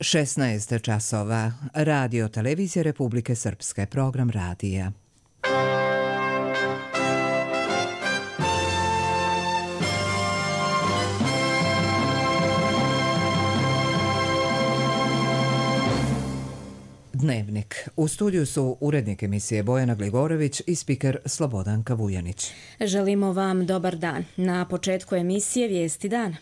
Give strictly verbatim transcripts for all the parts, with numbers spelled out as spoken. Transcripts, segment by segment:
šesnaest časova. Radio Televizija Republike Srpske. Program radija. Dnevnik. U studiju su urednik emisije Bojana Gligorović i spiker Slobodanka Vujanić. Želimo vam dobar dan. Na početku emisije Vijesti dana.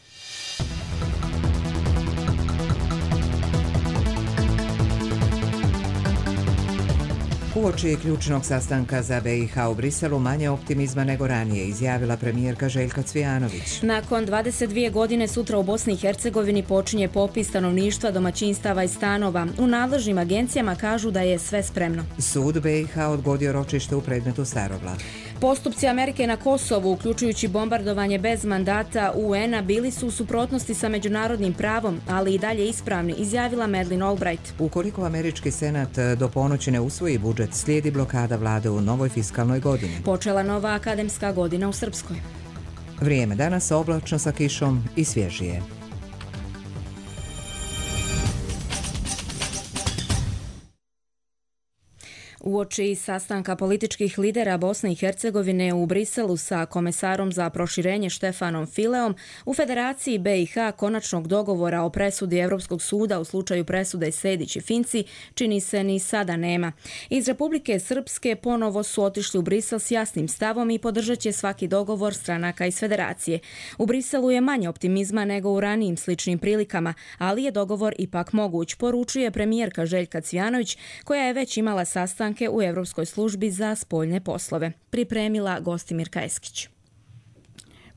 Uoči ključnog sastanka za B i H u Briselu manje optimizma nego ranije, izjavila premijerka Željka Cvijanović. Nakon dvadeset dvije godine sutra u Bosni i Hercegovini počinje popis stanovništva, domaćinstava i stanova. U nadležnim agencijama kažu da je sve spremno. Sud B i H odgodio ročište u predmetu Staroglav. Postupci Amerike na Kosovu, uključujući bombardovanje bez mandata U N-a, bili su u suprotnosti sa međunarodnim pravom, ali i dalje ispravni, izjavila Madeleine Albright. Ukoliko američki senat do ponoći ne usvoji budžet, slijedi blokada vlade u novoj fiskalnoj godini. Počela nova akademska godina u Srpskoj. Vrijeme danas oblačno sa kišom i svježije. Uoči sastanka političkih lidera Bosne i Hercegovine u Briselu sa komesarom za proširenje Štefanom Fileom, u Federaciji B i H konačnog dogovora o presudi Europskog suda u slučaju presude Sejdić i Finci čini se ni sada nema. Iz Republike Srpske ponovo su otišli u Brisel s jasnim stavom i podržat će svaki dogovor stranaka iz Federacije. U Briselu je manje optimizma nego u ranijim sličnim prilikama, ali je dogovor ipak moguć, poručuje premijerka Željka Cvijanović, koja je već imala sastanke u Europskoj službi za spoljne poslove. Pripremila Gostimirka Eskić.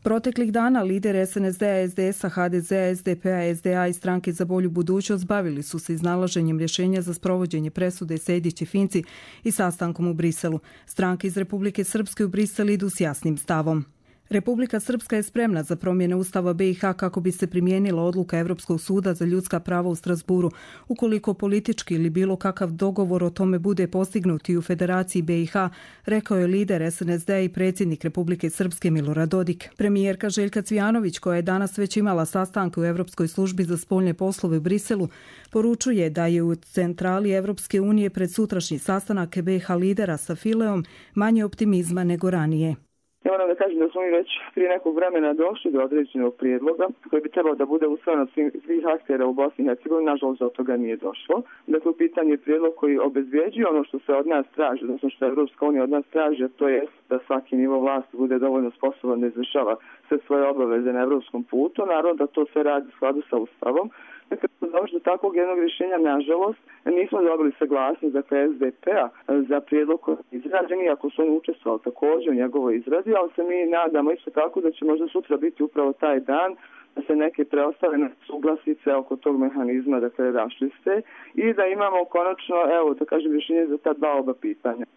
Proteklih dana lider S N S D-a, S D S-a, H D Z-a, S D P-a, S D A i Stranke za bolju budućnost bavili su se iznalaženjem rješenja za sprovođenje presude Sejdić i Finci i sastankom u Briselu. Stranke iz Republike Srpske u Brisel idu s jasnim stavom. Republika Srpska je spremna za promjene Ustava B i H kako bi se primijenila odluka Europskog suda za ljudska prava u Strasburu, ukoliko politički ili bilo kakav dogovor o tome bude postignut i u Federaciji B i H, rekao je lider S N S D-a i predsjednik Republike Srpske Milorad Dodik. Premijerka Željka Cvijanović, koja je danas već imala sastanke u Europskoj službi za spoljne poslove u Briselu, poručuje da je u centrali Europske unije pred sutrašnji sastanak B i H lidera sa Fileom manje optimizma nego ranije. Ja moram da kažem da smo mi već prije nekog vremena došli do određenog prijedloga koji bi trebao da bude usvojen od svih aktera u Bosni i Hercegovini, nažalost do toga nije došlo. Dakle, u pitanju je prijedlog koji obezvjeđuje ono što se od nas traži, odnosno što Evropska unija od nas traži, a to je da svaki nivo vlasti bude dovoljno sposoban da izvršava sve svoje obaveze na evropskom putu, naravno da to sve radi u skladu sa Ustavom. Dakle, došli do takvog jednog rješenja, nažalost, nismo dobili saglasnost, dakle, S D P-a za prijedlog koji je izrađen, iako su oni učestvovali također u njegovoj izradi, ali se mi nadamo isto tako da će možda sutra biti upravo taj dan da se neke preostale suglasice oko tog mehanizma, dakle, raščiste i da imamo konačno, evo, da kažem, rješenje za ta dva oba pitanja.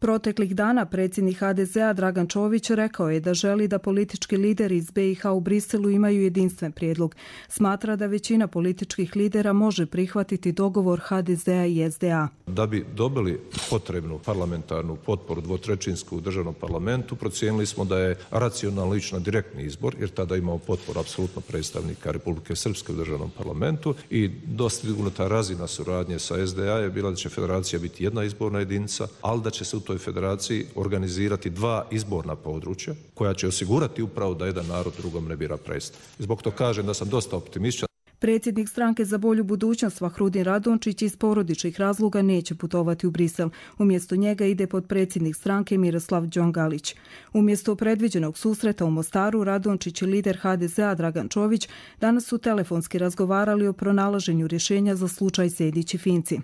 Proteklih dana predsjednik H D Z-a Dragan Čović rekao je da želi da politički lideri iz B i H u Briselu imaju jedinstven prijedlog. Smatra da većina političkih lidera može prihvatiti dogovor H D Z-a i S D A. Da bi dobili potrebnu parlamentarnu potporu dvotrećinsku u državnom parlamentu, procijenili smo da je racionalno ići na direktni izbor, jer tada imamo potporu apsolutno predstavnika Republike Srpske u državnom parlamentu i dostignuta razina suradnje sa S D A je bila da će federacija biti jedna izborna jedinica, ali da će se u toj federaciji organizirati dva izborna područja koja će osigurati upravo da jedan narod drugom ne bira predstavnik. Zbog to kažem da sam dosta optimističan. Predsjednik Stranke za bolju budućnost Vahrudin Radončić iz porodičnih razloga neće putovati u Brisel. Umjesto njega ide potpredsjednik stranke Miroslav Đongalić. Umjesto predviđenog susreta u Mostaru, Radončić i lider H D Z-a Dragan Čović danas su telefonski razgovarali o pronalaženju rješenja za slučaj Sejdić i Finci.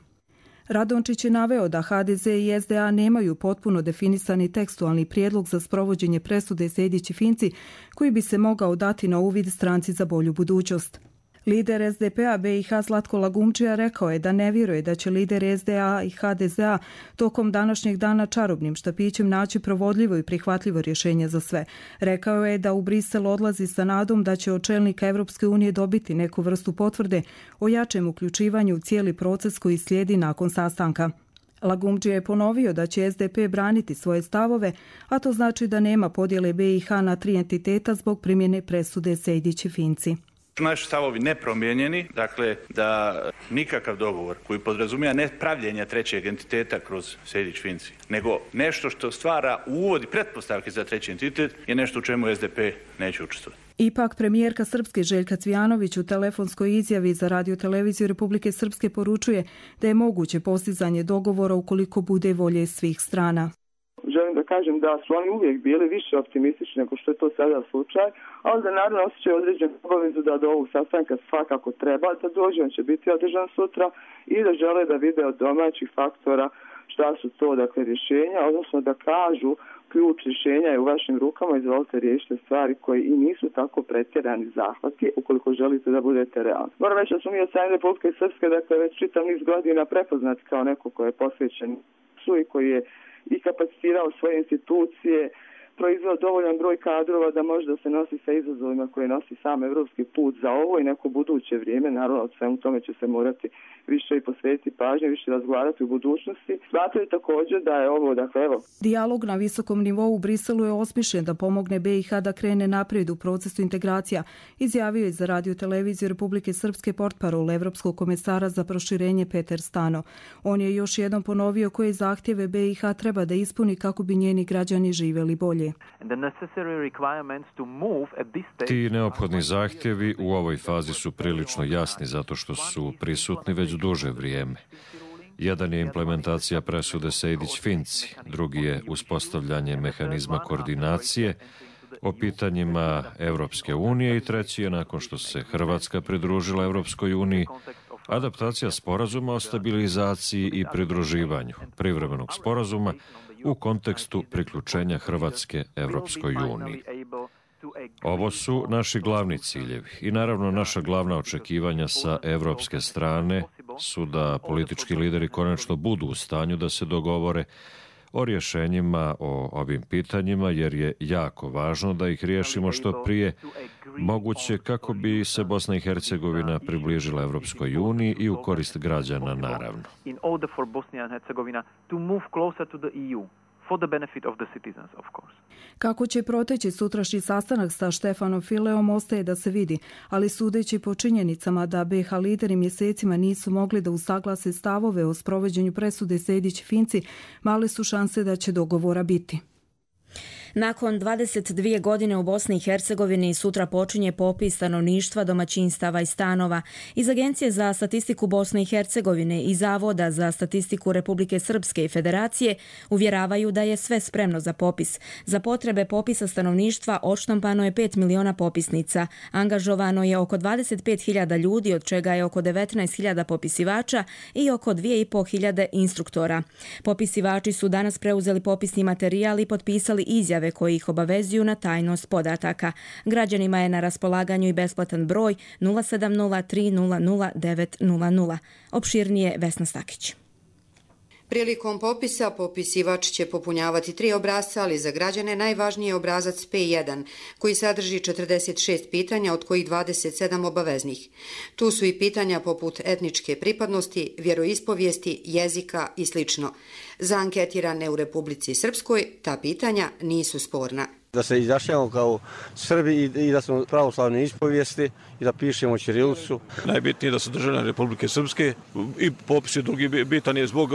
Radončić je naveo da H D Z i S D A nemaju potpuno definisani tekstualni prijedlog za sprovođenje presude Sejdić i Finci koji bi se mogao dati na uvid Stranci za bolju budućnost. Lider S D P-a B i H Zlatko Lagumdžija rekao je da ne vjeruje da će lider S D A i H D Z-a tokom današnjeg dana čarobnim štapićem naći provodljivo i prihvatljivo rješenje za sve. Rekao je da u Brisel odlazi sa nadom da će od čelnika Evropske unije dobiti neku vrstu potvrde o jačem uključivanju u cijeli proces koji slijedi nakon sastanka. Lagumdžija je ponovio da će S D P braniti svoje stavove, a to znači da nema podjele B i H na tri entiteta zbog primjene presude Sejdić i Finci. Naši stavovi nepromijenjeni, dakle da nikakav dogovor koji podrazumijeva ne pravljenja trećeg entiteta kroz Sejdić-Finci, nego nešto što stvara uvod i pretpostavke za treći entitet je nešto u čemu S D P neće učestvovati. Ipak, premijerka Srpske Željka Cvijanović u telefonskoj izjavi za radioteleviziju Republike Srpske poručuje da je moguće postizanje dogovora ukoliko bude volje svih strana. Želim da kažem da su oni uvijek bili više optimistični nego što je to sada slučaj, ali da naravno osjećaju određenu obavezu da do ovog sastanka svakako treba da dođe, on će biti održan sutra i da žele da vide od domaćih faktora šta su to, dakle, rješenja, odnosno da kažu ključ rješenja je u vašim rukama, izvolite riješite stvari koji i nisu tako pretjerani zahvati ukoliko želite da budete realni. Moram reći da smo mi od strane Republike Srpske, dakle, već čitav niz godina prepoznati kao neko ko je posvećen su i koji je i kapacitirao svoje institucije, proizveo dovoljan broj kadrova da može da se nosi sa izazovima koje nosi sam evropski put za ovo i neko buduće vrijeme. Naravno, od svemu tome će se morati više i posvetiti pažnje, više razgovarati u budućnosti. Smatraju također da je ovo, dakle, evo. Dijalog na visokom nivou u Briselu je osmišljen da pomogne B i H da krene naprijed u procesu integracija, izjavio je za radioteleviziju Republike Srpske portparol Evropskog komesara za proširenje Peter Stano. On je još jednom ponovio koje zahtjeve B i H treba da ispuni kako bi njeni građani živjeli bolje. Ti neophodni zahtjevi u ovoj fazi su prilično jasni zato što su prisutni već duže vrijeme. Jedan je implementacija presude Sejdić-Finci, drugi je uspostavljanje mehanizma koordinacije o pitanjima Evropske unije i treći je, nakon što se Hrvatska pridružila Evropskoj uniji, adaptacija sporazuma o stabilizaciji i pridruživanju, privremenog sporazuma u kontekstu priključenja Hrvatske Evropskoj uniji. Ovo su naši glavni ciljevi i naravno naša glavna očekivanja sa evropske strane su da politički lideri konačno budu u stanju da se dogovore o rješenjima o ovim pitanjima, jer je jako važno da ih riješimo što prije moguće kako bi se Bosna i Hercegovina približila Evropskoj uniji i u korist građana, naravno. For the benefit of the citizens, of course. Kako će proteći sutrašnji sastanak sa Štefanom Fileom ostaje da se vidi, ali sudeći po činjenicama da B i H lideri mjesecima nisu mogli da usaglase stavove o sprovođenju presude Sejdić-Finci, male su šanse da će dogovora biti. Nakon dvadeset dvije godine u Bosni i Hercegovini sutra počinje popis stanovništva, domaćinstava i stanova. Iz Agencije za statistiku Bosne i Hercegovine i Zavoda za statistiku Republike Srpske i Federacije uvjeravaju da je sve spremno za popis. Za potrebe popisa stanovništva odštampano je pet miliona popisnica. Angažovano je oko dvadeset pet hiljada ljudi, od čega je oko devetnaest hiljada popisivača i oko dvije i pol hiljade instruktora. Popisivači su danas preuzeli popisni materijal i potpisali izjave koji ih obavezuju na tajnost podataka. Građanima je na raspolaganju i besplatan broj nula sedam nula tri nula nula devet nula nula. Opširnije Vesna Stakić. Prilikom popisa popisivač će popunjavati tri obrasca, ali za građane najvažniji je obrazac P jedan, koji sadrži četrdeset šest pitanja, od kojih dvadeset sedam obaveznih. Tu su i pitanja poput etničke pripadnosti, vjeroispovijesti, jezika i sl. Za anketirane u Republici Srpskoj ta pitanja nisu sporna. Da se izjašnjavamo kao Srbi i da smo pravoslavne ispovijesti i da pišemo ćirilicu. Najbitnije je da su državljani Republike Srpske i popis je drugi bitan je zbog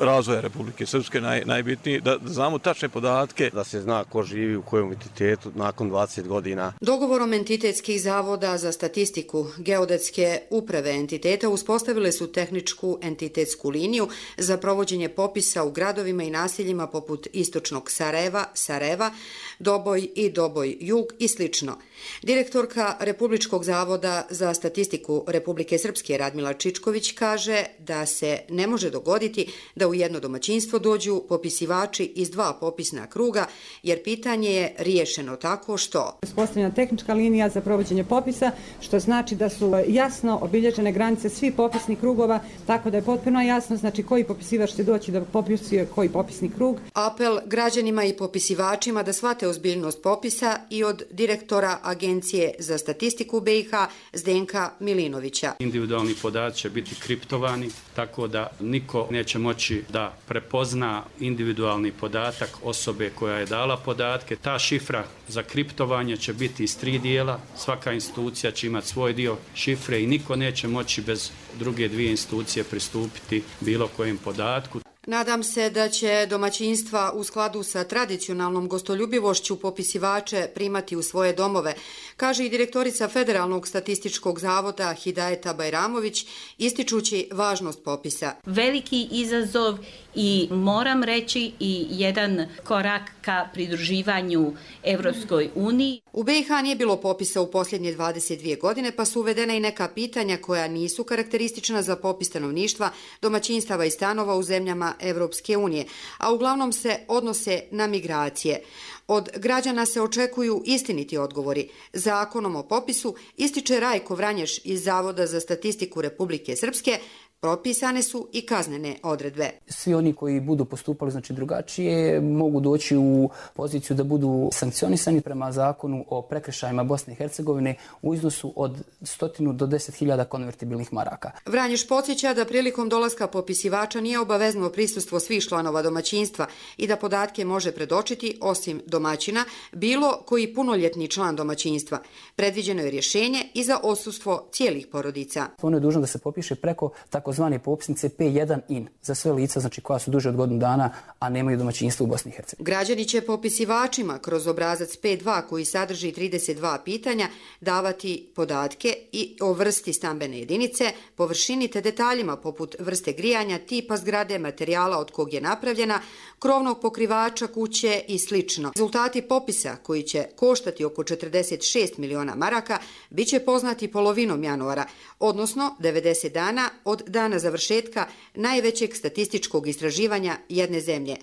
razvoja Republike Srpske naj, najbitnije da znamo tačne podatke. Da se zna ko živi u kojem entitetu nakon dvadeset godina. Dogovorom entitetskih zavoda za statistiku geodetske uprave entiteta uspostavile su tehničku entitetsku liniju za provođenje popisa u gradovima i naseljima poput istočnog Sarajeva, Sarajeva, Doboj i Doboj Jug i slično. Direktorka Republičkog zavoda za statistiku Republike Srpske Radmila Čičković kaže da se ne može dogoditi da u jedno domaćinstvo dođu popisivači iz dva popisna kruga, jer pitanje je riješeno tako što... Uspostavljena tehnička linija za provođenje popisa, što znači da su jasno obilježene granice svih popisnih krugova, tako da je potpuno jasno znači koji popisivač će doći da popisuje koji popisni krug. Apel građanima i popisivačima da shvate ozbiljnost popisa i od direktora Agencije za statistiku B i H Zdenka Milinovića. Individualni podaci će biti kriptovani, tako da niko neće moći da prepozna individualni podatak osobe koja je dala podatke. Ta šifra za kriptovanje će biti iz tri dijela. Svaka institucija će imati svoj dio šifre i niko neće moći bez druge dvije institucije pristupiti bilo kojem podatku. Nadam se da će domaćinstva u skladu sa tradicionalnom gostoljubivošću popisivače primati u svoje domove, kaže i direktorica Federalnog statističkog zavoda Hidajeta Bajramović, ističući važnost popisa. Veliki izazov i moram reći i jedan korak ka pridruživanju Evropskoj uniji. U B i H nije bilo popisa u posljednje dvadeset dvije godine, pa su uvedena i neka pitanja koja nisu karakteristična za popis stanovništva, domaćinstava i stanova u zemljama Evropske unije, a uglavnom se odnose na migracije. Od građana se očekuju istiniti odgovori. Zakonom o popisu, ističe Rajko Vranješ iz Zavoda za statistiku Republike Srpske, propisane su i kaznene odredbe. Svi oni koji budu postupali znači drugačije mogu doći u poziciju da budu sankcionisani prema zakonu o prekršajima Bosne i Hercegovine u iznosu od stotinu do deset hiljada konvertibilnih maraka. Vranješ podsjeća da prilikom dolaska popisivača nije obavezno prisustvo svih članova domaćinstva i da podatke može predočiti osim domaćina bilo koji punoljetni član domaćinstva. Predviđeno je rješenje i za odsustvo cijelih porodica. Ono je dužno da se popiše preko takozvane popisnice P jedan in za sve lica znači koja su duže od godinu dana, a nemaju domaćinstvo u Bosni i Hercegovini. Građani će popisivačima kroz obrazac P dva koji sadrži trideset dva pitanja davati podatke i o vrsti stambene jedinice, površini te detaljima poput vrste grijanja, tipa zgrade, materijala od kog je napravljena, krovnog pokrivača kuće i slično. Rezultati popisa, koji će koštati oko četrdeset šest miliona maraka, bit će poznati polovinom januara, odnosno devedeset dana od dana završetka najvećeg statističkog istraživanja jedne zemlje.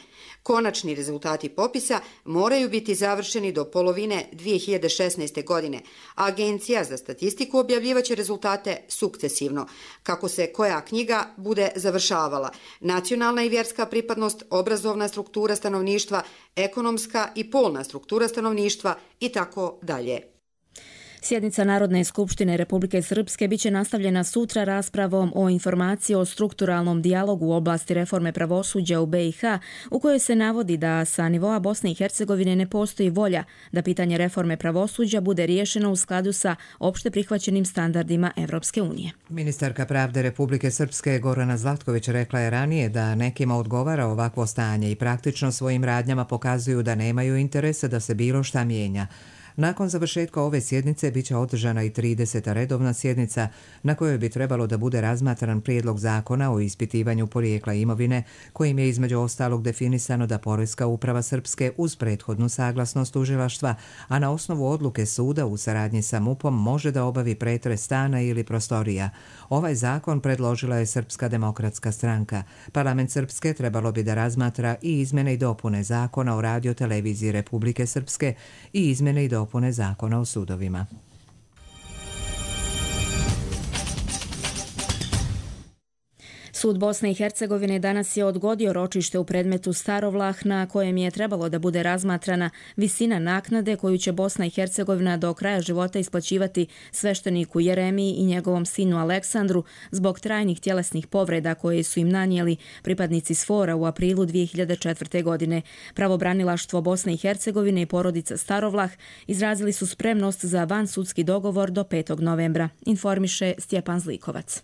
Konačni rezultati popisa moraju biti završeni do polovine dvije hiljade šesnaeste. godine. Agencija za statistiku objavljivaće rezultate sukcesivno, kako se koja knjiga bude završavala. Nacionalna i vjerska pripadnost, obrazovna struktura stanovništva, ekonomska i polna struktura stanovništva i tako dalje. Sjednica Narodne skupštine Republike Srpske biće nastavljena sutra raspravom o informaciji o strukturalnom dijalogu u oblasti reforme pravosuđa u B i H, u kojoj se navodi da sa nivoa Bosne i Hercegovine ne postoji volja da pitanje reforme pravosuđa bude riješeno u skladu sa opšte prihvaćenim standardima Evropske unije. Ministarka pravde Republike Srpske Gorana Zlatković rekla je ranije da nekima odgovara ovakvo stanje i praktično svojim radnjama pokazuju da nemaju interesa da se bilo šta mijenja. Nakon završetka ove sjednice biće održana i trideseta redovna sjednica na kojoj bi trebalo da bude razmatran prijedlog zakona o ispitivanju porijekla imovine, kojim je između ostalog definisano da Poreska uprava Srpske uz prethodnu saglasnost tužilaštva, a na osnovu odluke suda u saradnji sa M U P-om može da obavi pretres stana ili prostorija. Ovaj zakon predložila je Srpska demokratska stranka. Parlament Srpske trebalo bi da razmatra i izmene i dopune zakona o radioteleviziji Republike Srpske i izmene i dopune dopune zakona o sudovima. Sud Bosne i Hercegovine danas je odgodio ročište u predmetu Starovlah na kojem je trebalo da bude razmatrana visina naknade koju će Bosna i Hercegovina do kraja života isplaćivati svešteniku Jeremiji i njegovom sinu Aleksandru zbog trajnih tjelesnih povreda koje su im nanijeli pripadnici Sfora u aprilu dvije hiljade četvrte. godine. Pravobranilaštvo Bosne i Hercegovine i porodica Starovlah izrazili su spremnost za vansudski dogovor do petog novembra, informiše Stjepan Zlikovac.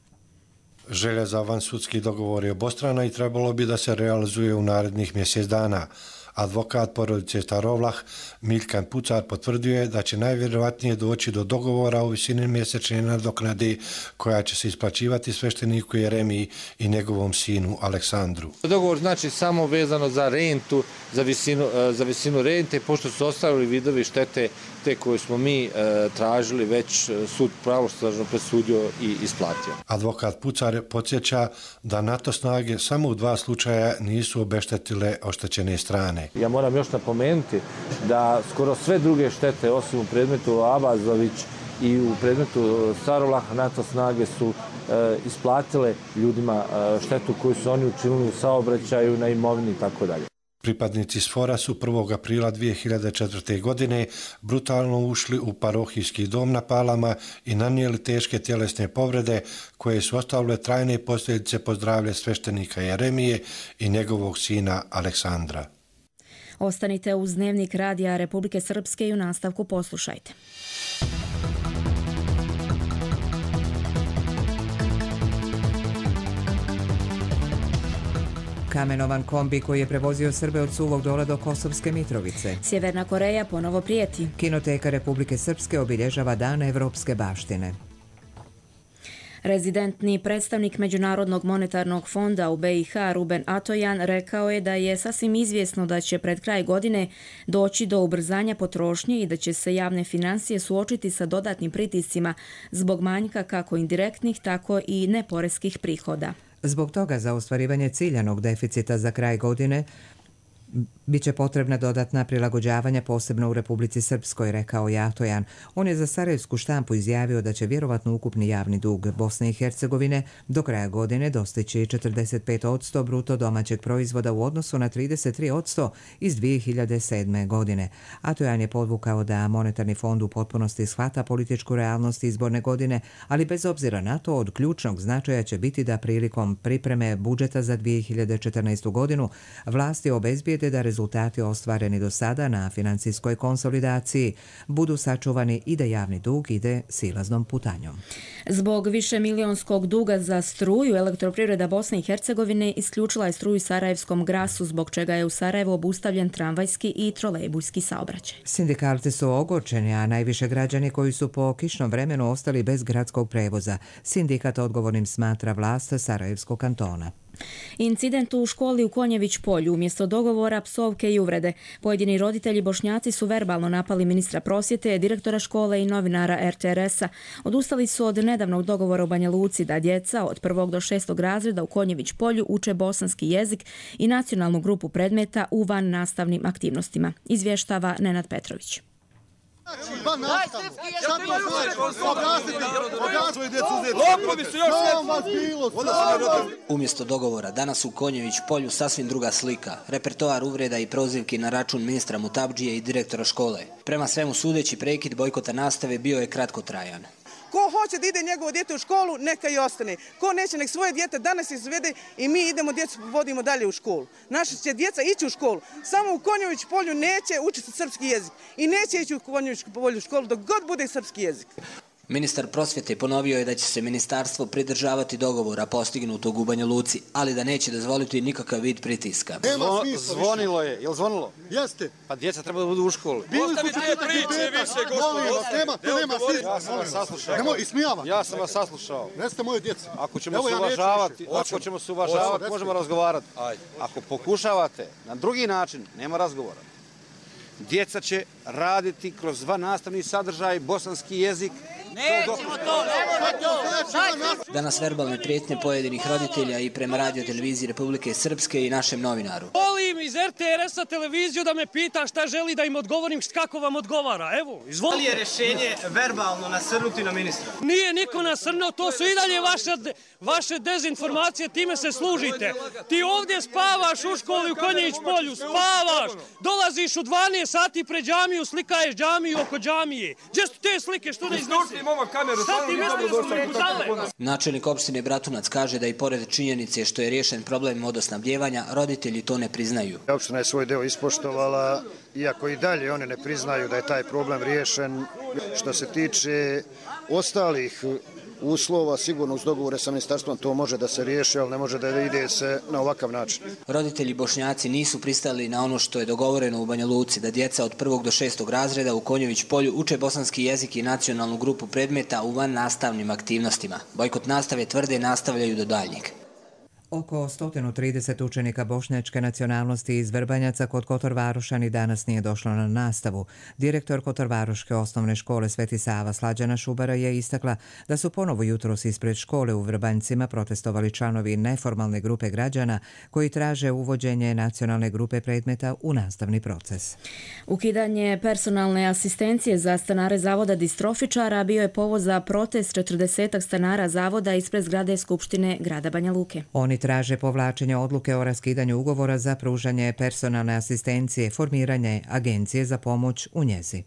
Želja za vansudski dogovor je obostrana i trebalo bi da se realizuje u narednih mjesec dana. Advokat porodice Starovlah Miljkan Pucar potvrdio je da će najvjerojatnije doći do dogovora o visini mjesečne nadoknade koja će se isplaćivati svešteniku Jeremiji i njegovom sinu Aleksandru. Dogovor znači samo vezano za rentu, za visinu, za visinu rente, pošto su ostali vidovi štete te koje smo mi e, tražili, već sud pravosnažno presudio i isplatio. Advokat Pucar podsjeća da NATO snage samo u dva slučaja nisu obeštetile oštećene strane. Ja moram još napomenuti da skoro sve druge štete, osim u predmetu Abazović i u predmetu Starovlah, NATO snage su e, isplatile ljudima e, štetu koju su oni učinili u saobraćaju, na imovini i tako dalje. Pripadnici Sfora su prvog aprila dvije hiljade četvrte. godine brutalno ušli u parohijski dom na Palama i nanijeli teške tjelesne povrede koje su ostavile trajne posljedice po zdravlje sveštenika Jeremije i njegovog sina Aleksandra. Ostanite uz Dnevnik Radija Republike Srpske i u nastavku poslušajte. Kamenovan kombi koji je prevozio Srbe od Suvog Dola do Kosovske Mitrovice. Sjeverna Koreja ponovo prijeti. Kinoteka Republike Srpske obilježava Dan evropske baštine. Rezidentni predstavnik Međunarodnog monetarnog fonda u be i ha Ruben Atojan rekao je da je sasvim izvjesno da će pred kraj godine doći do ubrzanja potrošnje i da će se javne financije suočiti sa dodatnim pritiscima zbog manjka kako indirektnih, tako i neporeskih prihoda. Zbog toga za ostvarivanje ciljanog deficita za kraj godine biće potrebna dodatna prilagođavanja, posebno u Republici Srpskoj, rekao je Atojan. On je za sarajevsku štampu izjavio da će vjerovatno ukupni javni dug Bosne i Hercegovine do kraja godine dostići četrdeset pet posto bruto domaćeg proizvoda u odnosu na trideset tri posto iz dvije hiljade sedme. godine. Atojan je podvukao da monetarni fond u potpunosti shvata političku realnost izborne godine, ali bez obzira na to od ključnog značaja će biti da prilikom pripreme budžeta za dvije hiljade četrnaestu. godinu vlasti obezbijede da rezultati ostvareni do sada na financijskoj konsolidaciji budu sačuvani i da javni dug ide silaznom putanjom. Zbog višemilionskog duga za struju, Elektroprivreda Bosne i Hercegovine isključila je struju Sarajevskom Grasu, zbog čega je u Sarajevu obustavljen tramvajski i trolejbujski saobraćaj. Sindikalci su ogorčeni, a najviše građani koji su po kišnom vremenu ostali bez gradskog prevoza. Sindikat odgovornim smatra vlast Sarajevskog kantona. Incident u školi u Konjević polju, umjesto dogovora, psovke i uvrede. Pojedini roditelji Bošnjaci su verbalno napali ministra prosvjete, direktora škole i novinara er te er esa. Odustali su od nedavnog dogovora u Banja Luci da djeca od prvog do šestog razreda u Konjević polju uče bosanski jezik i nacionalnu grupu predmeta u van nastavnim aktivnostima. Izvještava Nenad Petrović. Umjesto dogovora, danas u Konjević polju sasvim druga slika. Repertoar uvreda i prozivki na račun ministra Mutabdžije i direktora škole. Prema svemu sudeći, prekid bojkota nastave bio je kratkotrajan. Ko hoće da ide njegovo dijete u školu, neka i ostane. Ko neće, nek svoje dijete danas izvede i mi idemo djecu vodimo dalje u školu. Naša će djeca ići u školu. Samo u Konjević polju neće učiti srpski jezik. I neće ići u Konjević polju u školu dok god bude srpski jezik. Ministar prosvjete ponovio je da će se ministarstvo pridržavati dogovora postignutog u Banja Luci, ali da neće dozvoliti nikakav vid pritiska. Zvo, zvonilo je, je li zvonilo? Jeste. Pa djeca treba da budu u školi. Ostavite te priče više, gospodo. Nema, to nema svi. Ja sam vas saslušao. Nemoj, ismijavam. Ja sam vas saslušao. Neste moje djece. Ako ćemo se uvažavati, ako ćemo se uvažavati, možemo razgovarati. Ako pokušavate na drugi način, nema razgovora. Djeca će raditi kroz van nastavni sadržaj, bosanski jezik. Nećemo to, to. Danas verbalne prijetnje pojedinih roditelja i prema radio televiziji Republike Srpske i našem novinaru. Volim iz er te er esa televiziju da me pita šta želi da im odgovorim, kako vam odgovara. Evo, izvolite. Da li je rješenje verbalno nasrnuti na ministra? Nije niko nasrnuo, to su i dalje vaše, vaše dezinformacije, time se služite. Ti ovdje spavaš u školi u Konjević polju, spavaš. Dolaziš u dvanaest sati pred džamiju, slikaješ džamiju oko džamije. Gdje su te slike, što ne iznesi? Načelnik opštine Bratunac kaže da i pored činjenice što je riješen problem vodosnabdjevanja, roditelji to ne priznaju. Opština je svoj deo ispoštovala, iako i dalje oni ne priznaju da je taj problem riješen. Što se tiče ostalih uslova, sigurno uz dogovore sa ministarstvom to može da se riješi, ali ne može da ide se na ovakav način. Roditelji Bošnjaci nisu pristali na ono što je dogovoreno u Banja Luci, da djeca od prvog do šestog razreda u Konjević polju uče bosanski jezik i nacionalnu grupu predmeta u van nastavnim aktivnostima. Bojkot nastave tvrde nastavljaju do daljnjeg. Oko sto trideset učenika bošnjačke nacionalnosti iz Vrbanjaca kod Kotorvaroša ni danas nije došlo na nastavu. Direktor Kotorvaroške osnovne škole Sveti Sava Slađana Šubara je istakla da su ponovo jutros ispred škole u Vrbanjcima protestovali članovi neformalne grupe građana koji traže uvođenje nacionalne grupe predmeta u nastavni proces. Ukidanje personalne asistencije za stanare zavoda distrofičara bio je povod za protest četrdesetak stanara zavoda ispred zgrade Skupštine grada Banja Luke. Oni traže povlačenje odluke o raskidanju ugovora za pružanje personalne asistencije, formiranje agencije za pomoć u njezi.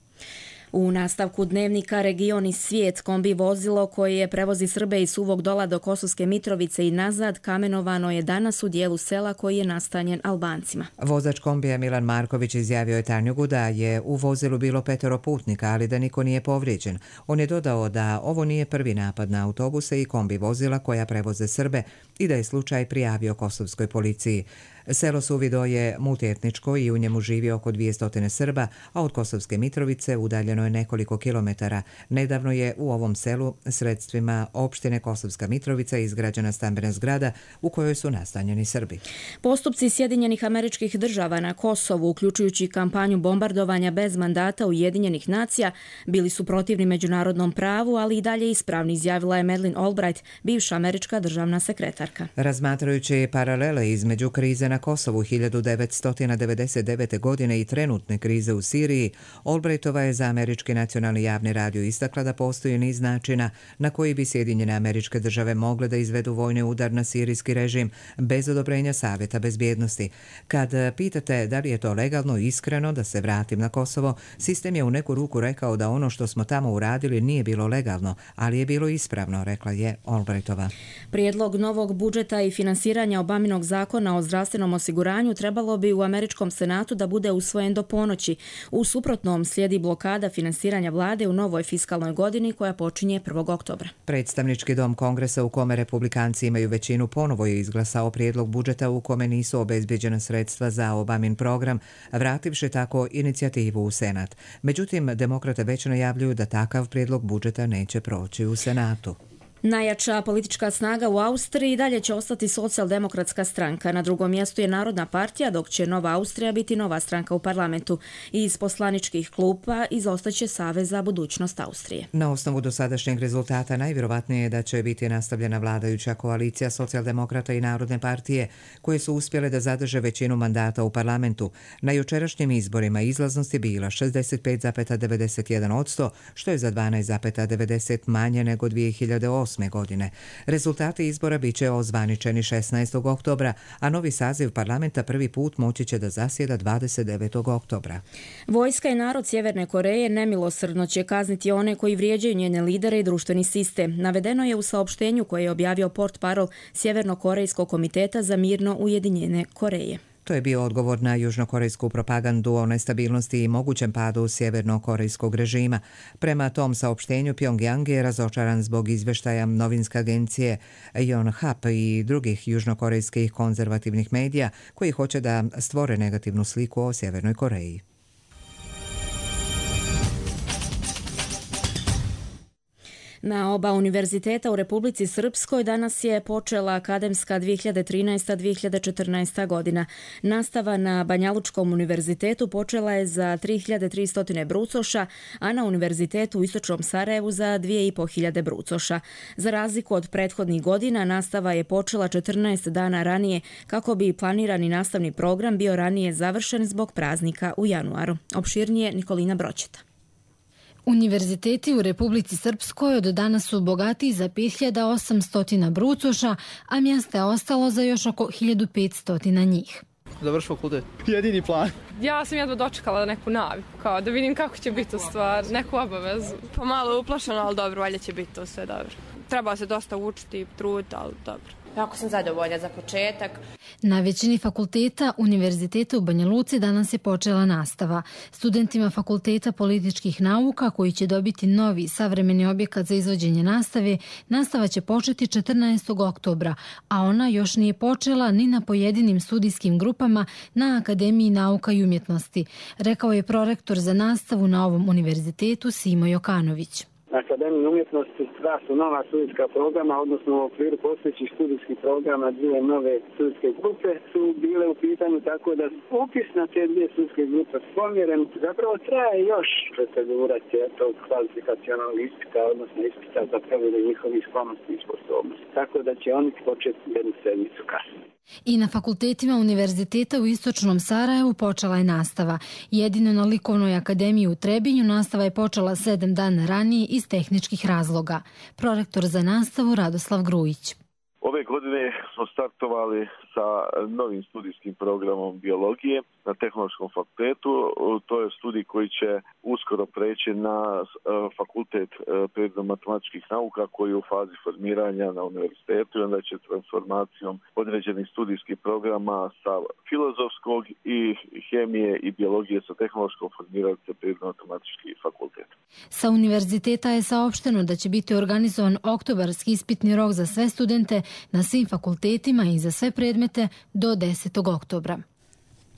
U nastavku dnevnika Region i svijet kombi vozilo koje prevozi Srbe iz Suvog Dola do Kosovske Mitrovice i nazad kamenovano je danas u dijelu sela koji je nastanjen Albancima. Vozač kombija Milan Marković izjavio je Tanjugu da je u vozilu bilo petero putnika, ali da niko nije povrijeđen. On je dodao da ovo nije prvi napad na autobuse i kombi vozila koja prevoze Srbe i da je slučaj prijavio kosovskoj policiji. Selo Suvido je multietničko i u njemu živi oko dvjesto Srba, a od Kosovske Mitrovice udaljeno je nekoliko kilometara. Nedavno je u ovom selu sredstvima opštine Kosovska Mitrovica izgrađena stambena zgrada u kojoj su nastanjeni Srbi. Postupci Sjedinjenih Američkih Država na Kosovu, uključujući kampanju bombardovanja bez mandata Ujedinjenih nacija, bili su protivni međunarodnom pravu, ali i dalje ispravni, izjavila je Madeleine Albright, bivša američka državna sekretarka. Razmatrajući paralele između krize na Kosovu hiljadu devetsto devedeset devete. godine i trenutne krize u Siriji, Albrightova je za Američki nacionalni javni radio istakla da postoji niz načina na koji bi Sjedinjene Američke Države mogle da izvedu vojni udar na sirijski režim bez odobrenja Savjeta bezbjednosti. Kad pitate da li je to legalno i iskreno da se vratim na Kosovo, sistem je u neku ruku rekao da ono što smo tamo uradili nije bilo legalno, ali je bilo ispravno, rekla je Albrightova. Prijedlog novog budžeta i finansiranja Obaminog zakona o zdravstvenom osiguranju trebalo bi u Američkom senatu da bude usvojen do ponoći. U suprotnom slijedi blokada finansiranja vlade u novoj fiskalnoj godini koja počinje prvog oktobra. Predstavnički dom Kongresa u kome republikanci imaju većinu ponovo je izglasao prijedlog budžeta u kome nisu obezbeđena sredstva za Obamin program, vrativši tako inicijativu u Senat. Međutim, demokrate već najavljuju da takav prijedlog budžeta neće proći u Senatu. Najjača politička snaga u Austriji dalje će ostati Socijaldemokratska stranka. Na drugom mjestu je Narodna partija, dok će Nova Austrija biti nova stranka u parlamentu. Iz poslaničkih klupa izostaće Savez za budućnost Austrije. Na osnovu dosadašnjeg rezultata najvjerovatnije je da će biti nastavljena vladajuća koalicija Socijaldemokrata i Narodne partije, koje su uspjele da zadrže većinu mandata u parlamentu. Na jučerašnjim izborima izlaznost je bila šezdeset pet zarez devedeset jedan posto, što je za dvanaest zarez devedeset manje nego dvije hiljade osme. godine. Rezultati izbora bit će ozvaničeni šesnaestog oktobra, a novi saziv parlamenta prvi put moći će da zasjeda dvadeset devetog oktobra. Vojska i narod Sjeverne Koreje nemilosrdno će kazniti one koji vrijeđaju njene lidere i društveni sistem. Navedeno je u saopštenju koje je objavio portparol Sjevernokorejskog komiteta za mirno ujedinjene Koreje. To je bio odgovor na južnokorejsku propagandu o nestabilnosti i mogućem padu sjevernokorejskog režima. Prema tom saopštenju, Pyongyang je razočaran zbog izveštaja novinske agencije Yonhap i drugih južnokorejskih konzervativnih medija koji hoće da stvore negativnu sliku o Sjevernoj Koreji. Na oba univerziteta u Republici Srpskoj danas je počela akademska dvije hiljade trinaesta dvije hiljade četrnaesta. godina. Nastava na Banjalučkom univerzitetu počela je za tri hiljade tristo brucoša, a na univerzitetu u Istočnom Sarajevu za dvije i po hiljade brucoša. Za razliku od prethodnih godina, nastava je počela četrnaest dana ranije kako bi planirani nastavni program bio ranije završen zbog praznika u januaru. Opširnije Nikolina Broćeta. Univerziteti u Republici Srpskoj od danas su bogatiji za pet hiljada osamsto brucoša, a mjesta je ostalo za još oko hiljadu petsto njih. Završi fakultet. Jedini plan. Ja sam jedva dočekala neku naviku, kao da vidim kako će biti u stvar, neku obavezu. Pa malo uplašeno, ali dobro, valjda će biti to sve dobro. Treba se dosta učiti, truditi, ali dobro. Jako sam zadovoljna za početak. Na većini fakulteta Univerziteta u Banja Luci danas je počela nastava. Studentima Fakulteta političkih nauka, koji će dobiti novi savremeni objekat za izvođenje nastave, nastava će početi četrnaestog oktobra, a ona još nije počela ni na pojedinim studijskim grupama na Akademiji nauka i umjetnosti, rekao je prorektor za nastavu na ovom univerzitetu Simo Jokanović. Na Akademiji umjetnosti dva su nova studijska programa, odnosno u okviru postojećih studijskih programa dvije nove studijske grupe su bile u pitanju, tako da upis na te dvije studijske grupe pomjeren. Zapravo traje još procedura tog kvalifikacionalnog ispita, odnosno ispita za provjeru njihovih sklonosti i sposobnosti. Tako da će oni početi jednu sedmicu kasnije. I na fakultetima Univerziteta u Istočnom Sarajevu počela je nastava. Jedino na Likovnoj akademiji u Trebinju nastava je počela sedam dana ranije iz tehničkih razloga. Prorektor za nastavu Radoslav Grujić. Ove godine smo smo startovali sa novim studijskim programom biologije na Tehnološkom fakultetu. To je studij koji će uskoro preći na fakultet prirodno-matematičkih nauka koji je u fazi formiranja na univerzitetu i onda će transformacijom određenih studijskih programa sa filozofskog i hemije i biologije sa tehnološkog formirati se prirodno-matematički fakultet. Sa univerziteta je saopšteno da će biti organizovan oktobarski ispitni rok za sve studente na svim fakultetima i za sve predmete do desetog oktobra.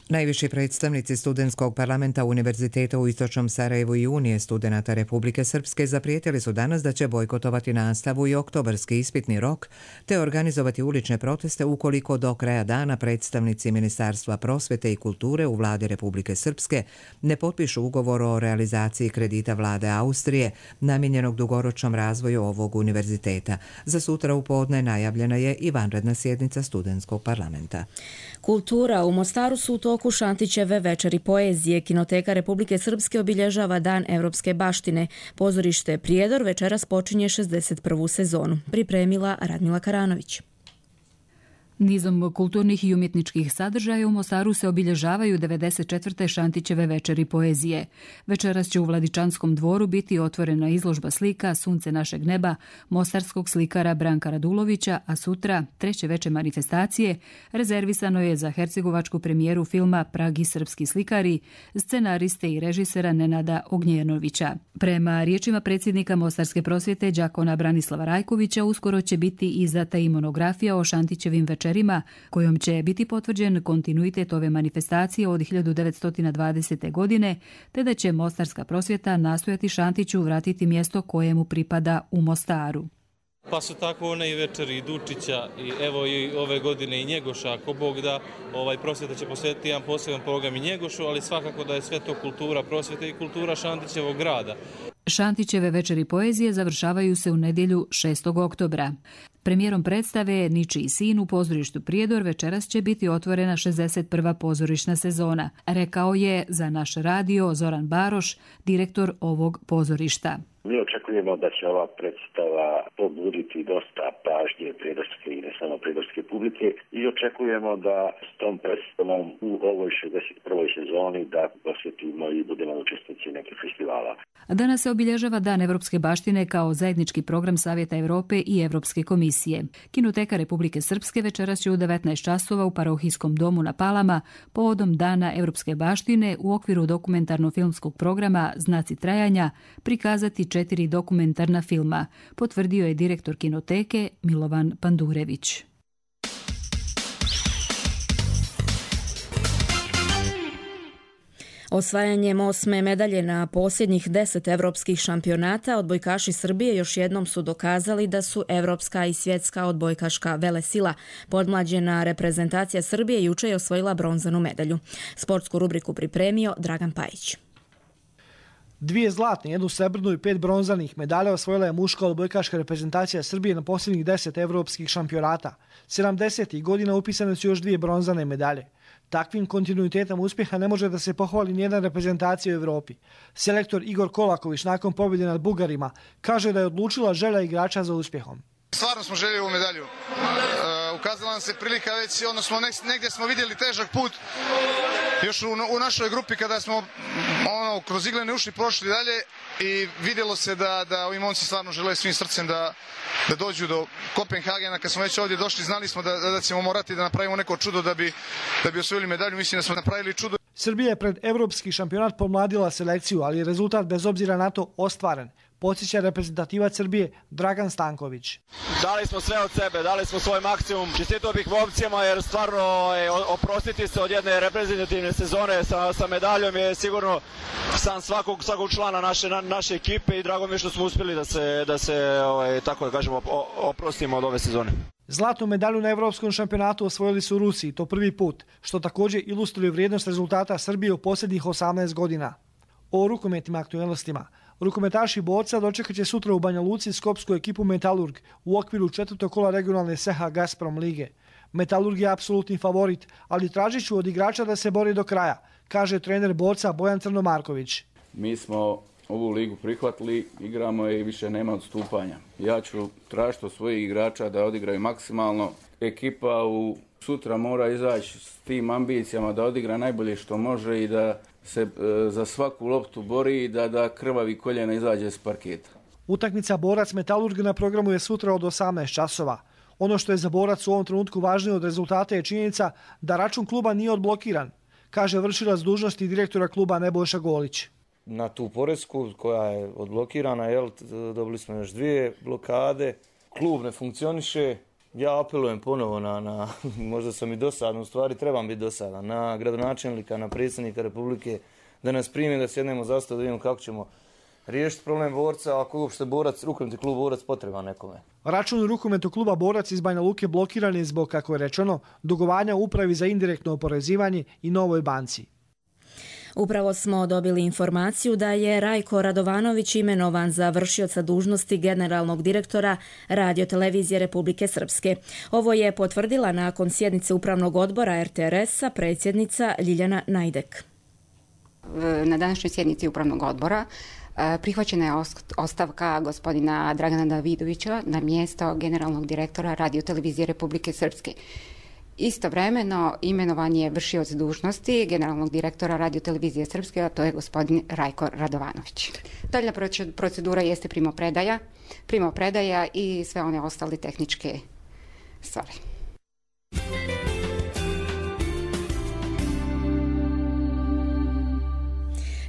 Najviši predstavnici studentskog parlamenta Univerziteta u Istočnom Sarajevu i Unije studenata Republike Srpske zaprijetili su danas da će bojkotovati nastavu i oktobarski ispitni rok te organizovati ulične proteste ukoliko do kraja dana predstavnici Ministarstva prosvete i kulture u vladi Republike Srpske ne potpišu ugovor o realizaciji kredita vlade Austrije namijenjenog dugoročnom razvoju ovog univerziteta. Za sutra u podne najavljena je i vanredna sjednica studentskog parlamenta. Kultura u Mostaru su u toku Šantićeve večeri poezije. Kinoteka Republike Srpske obilježava Dan evropske baštine. Pozorište Prijedor večeras počinje šezdeset prvu sezonu. Pripremila Radmila Karanović. Nizom kulturnih i umjetničkih sadržaja u Mostaru se obilježavaju devedeset četvrte Šantićeve večeri poezije. Večeras će u Vladičanskom dvoru biti otvorena izložba slika Sunce našeg neba mostarskog slikara Branka Radulovića, a sutra, treće veče manifestacije, rezervisano je za hercegovačku premijeru filma Pragi srpski slikari, scenariste i režisera Nenada Ognjenovića. Prema riječima predsjednika Mostarske prosvjete đakona Branislava Rajkovića, uskoro će biti izdata i monografija o Šantićevim večerima kojom će biti potvrđen kontinuitet ove manifestacije od hiljadu devetsto dvadesete. godine, te da će Mostarska prosvjeta nastojati Šantiću vratiti mjesto kojemu pripada u Mostaru. Pa su tako one i večeri Dučića i evo i ove godine i Njegoša, ako Bog da, ovaj prosvjeta će posvetiti jedan poseban program i Njegošu, ali svakako da je sve to kultura prosvjete i kultura Šantićevog grada. Šantićeve večeri poezije završavaju se u nedjelju šestog oktobra. Premijerom predstave Ničiji sin u pozorištu Prijedor večeras će biti otvorena šezdeset prva pozorišna sezona, rekao je za naš radio Zoran Baroš, direktor ovog pozorišta. Mi očekujemo da će ova predstava pobuditi dosta pažnje prijedorske i ne samo prijedorske publike i očekujemo da s tom predstavom u ovoj šezdeset prvoj sezoni da posjetimo i budemo učesnici nekih festivala. Danas se obilježava Dan evropske baštine kao zajednički program Savjeta Europe i Europske komisije. Kinoteka Republike Srpske večeras će u devetnaest časova u Parohijskom domu na Palama povodom Dana evropske baštine u okviru dokumentarno-filmskog programa Znaci trajanja prikazati četiri dokumentarna filma, potvrdio je direktor Kinoteke Milovan Pandurević. Osvajanjem osme medalje na posljednjih deset evropskih šampionata, odbojkaši Srbije još jednom su dokazali da su evropska i svjetska odbojkaška velesila. Podmlađena reprezentacija Srbije juče je osvojila bronzanu medalju. Sportsku rubriku pripremio Dragan Pajić. Dvije zlatne, jednu srebrnu i pet bronzanih medalja osvojila je muška odbojkaška reprezentacija Srbije na posljednjih deset evropskih šampionata. sedamdesetih godina upisane su još dvije bronzane medalje. Takvim kontinuitetom uspjeha ne može da se pohvali nijedna reprezentacija u Evropi. Selektor Igor Kolaković nakon pobjede nad Bugarima kaže da je odlučila želja igrača za uspjehom. Stvarno smo željeli ovu medalju. E, ukazala nam se prilika već, odnosno negdje smo vidjeli težak put još u, u našoj grupi kada smo ono, kroz iglene uši prošli dalje i vidjelo se da, da ovi momci stvarno žele svim srcem da, da dođu do Kopenhagena. Kad smo već ovdje došli, znali smo da, da ćemo morati da napravimo neko čudo da bi, da bi osvojili medalju. Mislim da smo napravili čudo. Srbija je pred evropski šampionat pomladila selekciju, ali je rezultat bez obzira na to ostvaren. Podsjeća reprezentativac Srbije Dragan Stanković. Dali smo sve od sebe, dali smo svoj maksimum. Čestitao bih momcima jer stvarno je, oprostiti se od jedne reprezentativne sezone sa, sa medaljom je sigurno san svakog, svakog člana naše, na, naše ekipe i drago mi je što smo uspjeli da se, da se ovaj, tako da kažemo, oprostimo od ove sezone. Zlatnu medalju na evropskom šampionatu osvojili su Rusi, to prvi put, što također ilustruje vrijednost rezultata Srbije u posljednjih osamnaest godina. O rukometnim aktualnostima. Rukometaši borca dočekat će sutra u Banja Luci skopsku ekipu Metalurg u okviru četvrtog kola regionalne S H Gazprom lige. Metalurg je apsolutni favorit, ali tražit ću od igrača da se bori do kraja, kaže trener borca Bojan Crnomarković. Mi smo ovu ligu prihvatili, igramo je i više nema odstupanja. Ja ću tražiti od svojih igrača da odigraju maksimalno. Ekipa u sutra mora izaći s tim ambicijama da odigra najbolje što može i da se e, za svaku loptu bori i da, da krvavi koljena izađe s parketa. Utakmica Borac Metalurg na programu je sutra od osamnaest časova. Ono što je za Borac u ovom trenutku važnije od rezultata je činjenica da račun kluba nije odblokiran, kaže vršilac dužnosti direktora kluba Nebojša Golić. Na tu poresku koja je odblokirana, jel, dobili smo još dvije blokade, klub ne funkcioniše. Ja apelujem ponovo na, na možda sam i dosadan, u stvari trebam biti dosadan, na gradonačelnika, na predsjednika Republike, da nas primi, da sjednemo za sto, da vidimo kako ćemo riješiti problem Borca, ako uopšte Borac, rukometni klub Borac potreba nekome. Račun rukometnog kluba Borac iz Banja Luke blokiran je zbog, kako je rečeno, dugovanja upravi za indirektno oporezivanje i Novoj banci. Upravo smo dobili informaciju da je Rajko Radovanović imenovan za vršioca dužnosti generalnog direktora Radiotelevizije Republike Srpske. Ovo je potvrdila nakon sjednice Upravnog odbora er te er es-a predsjednica Ljiljana Najdek. Na današnjoj sjednici Upravnog odbora prihvaćena je ostavka gospodina Dragana Davidovića na mjesto generalnog direktora Radiotelevizije Republike Srpske. Istovremeno imenovan je vršioc dužnosti generalnog direktora Radiotelevizije Srpske, a to je gospodin Rajko Radovanović. Daljna procedura jeste primopredaja, primopredaja i sve one ostale tehničke stvari.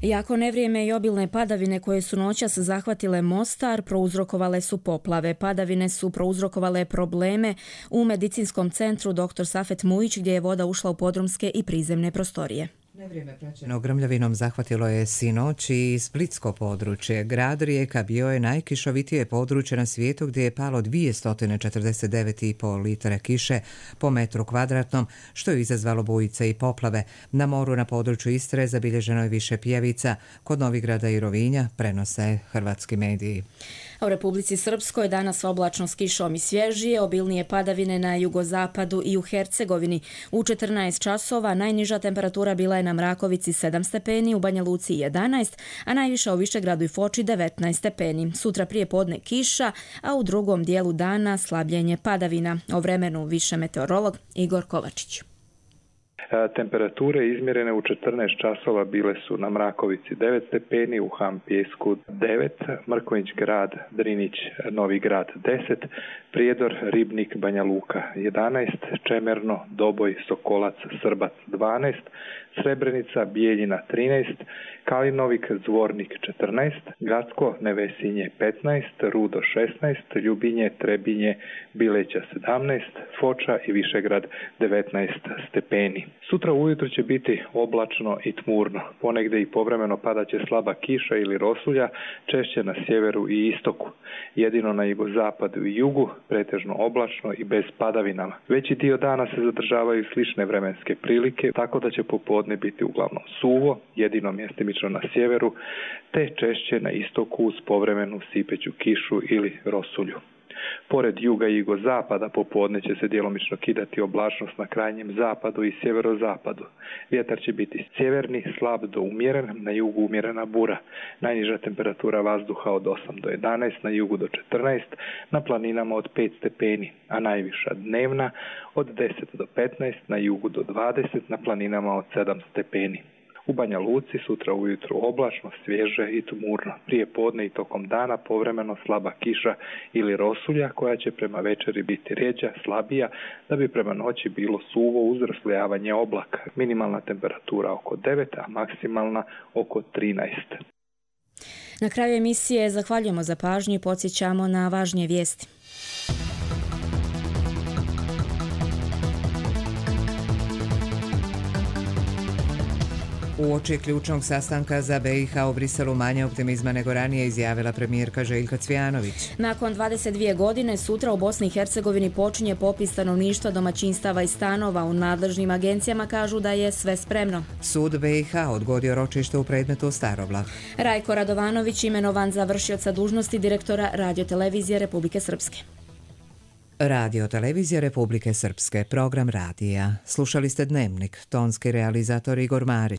Jako nevrijeme i obilne padavine koje su noćas zahvatile Mostar prouzrokovale su poplave. Padavine su prouzrokovale probleme u medicinskom centru doktor Safet Mujić gdje je voda ušla u podrumske i prizemne prostorije. Nevrijeme praćeno grmljavinom zahvatilo je sinoć i splitsko područje. Grad Rijeka bio je najkišovitije područje na svijetu gdje je palo dvjesto četrdeset devet zarez pet litre kiše po metru kvadratnom, što je izazvalo bujice i poplave. Na moru na području Istre zabilježeno je više pijavica, kod Novigrada i Rovinja, prenose hrvatski mediji. U Republici Srpskoj danas oblačno s kišom i svježije, obilnije padavine na jugozapadu i u Hercegovini. U četrnaest časova najniža temperatura bila je na Mrakovici sedam stepeni, u Banja Luci jedanaest, a najviša u Višegradu i Foči devetnaest stepeni. Sutra prije podne kiša, a u drugom dijelu dana slabljenje padavina. O vremenu više meteorolog Igor Kovačić. Temperature izmjerene u četrnaest časova bile su na Mrakovici devet stepeni, u Han Pijesku devet, Mrkonjić Grad, Drinić, Novi Grad deset, Prijedor, Ribnik, Banja Luka jedanaest, Čemerno, Doboj, Sokolac, Srbac dvanaest, Srebrenica, Bijeljina trinaest, Kalinovik, Zvornik četrnaest, Gacko, Nevesinje petnaest, Rudo šesnaest, Ljubinje, Trebinje, Bileća sedamnaest, Foča i Višegrad devetnaest stepeni. Sutra ujutro će biti oblačno i tmurno. Ponegdje i povremeno padaće slaba kiša ili rosulja, češće na sjeveru i istoku. Jedino na jugozapadu i jugu, pretežno oblačno i bez padavinama. Veći dio dana se zadržavaju slične vremenske prilike, tako da će popodne biti uglavnom suvo, jedino mjestimično na sjeveru, te češće na istoku uz povremenu sipeću kišu ili rosulju. Pored juga i jugozapada popodne će se djelomično kidati oblačnost na krajnjem zapadu i sjeverozapadu. Vjetar će biti sjeverni, slab do umjeren, na jugu umjerena bura. Najniža temperatura vazduha od osam do jedanaest, na jugu do četrnaest, na planinama od pet stepeni, a najviša dnevna od deset do petnaest, na jugu do dvadeset, na planinama od sedam stepeni. U Banja Luci sutra ujutro oblačno, svježe i tmurno. Prije podne i tokom dana povremeno slaba kiša ili rosulja koja će prema večeri biti rjeđa, slabija, da bi prema noći bilo suvo uz raslojavanje oblaka. Minimalna temperatura oko devet, a maksimalna oko trinaest. Na kraju emisije zahvaljujemo za pažnju i podsjećamo na važnije vijesti. Uoči ključnog sastanka za be i ha u Briselu manje optimizma nego ranije izjavila premijerka Željka Cvijanović. Nakon dvadeset dvije godine sutra u Bosni i Hercegovini počinje popis stanovništva, domaćinstava i stanova. U nadležnim agencijama kažu da je sve spremno. Sud be i ha odgodio ročište u predmetu Staroblah. Rajko Radovanović imenovan za vršioca dužnosti direktora Radiotelevizije Republike Srpske. Radiotelevizija Republike Srpske, program radija. Slušali ste Dnevnik, tonski realizator Igor Marić.